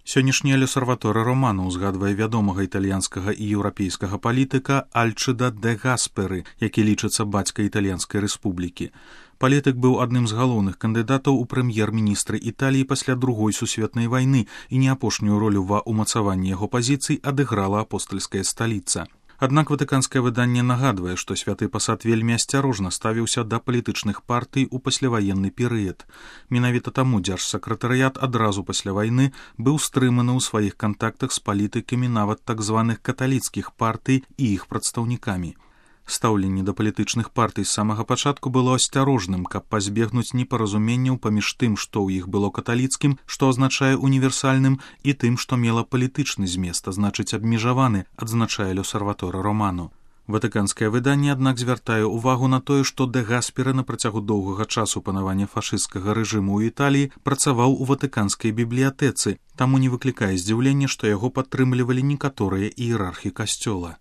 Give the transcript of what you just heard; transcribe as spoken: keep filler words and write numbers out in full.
Сённяшняя L'Osservatore Romano ўзгадвае вядомага італьянскага і еўрапейскага палітыка Альчыда де Гаспери, які лічыцца бацькай італьянскай рэспублікі. Палітык быў адным з галоўных кандыдатаў у прэм'ер-міністры Італіі пасля другой сусветнай вайны, і не апошнюю ролю ва ўмацаванні яго пазіцый адыграла апостальская сталіца. Аднак ватыканскае выданне нагадвае, што святы пасад вельмі асцярожна ставіўся да палітычных партый у пасляваенны перыяд. Менавіта таму дзяржсакратарыят адразу пасля вайны быў стрыманы ў сваіх кантактах з палітыкамі нават так званых каталіцкіх партый і іх прадстаўнікамі. Стаўленне да палітычных партый з самага пачатку было асцярожным, каб пазбегнуць непаразуменняў паміж тым, што ў іх было каталіцкім, што азначае універсальным, і тым, што мела палітычны змест, а значыць абмежаваны, адзначае L'Osservatore Romano. Ватыканскае выданне, аднак, звяртае ўвагу на тое, што де Гаспери на працягу доўгага часу панавання фашысцкага рэжыму ў Італіі працаваў у ватыканскай бібліятэцы, таму не выклікае здзіўлення, што яго падтрымлівалі некаторыя іерархі касцёла.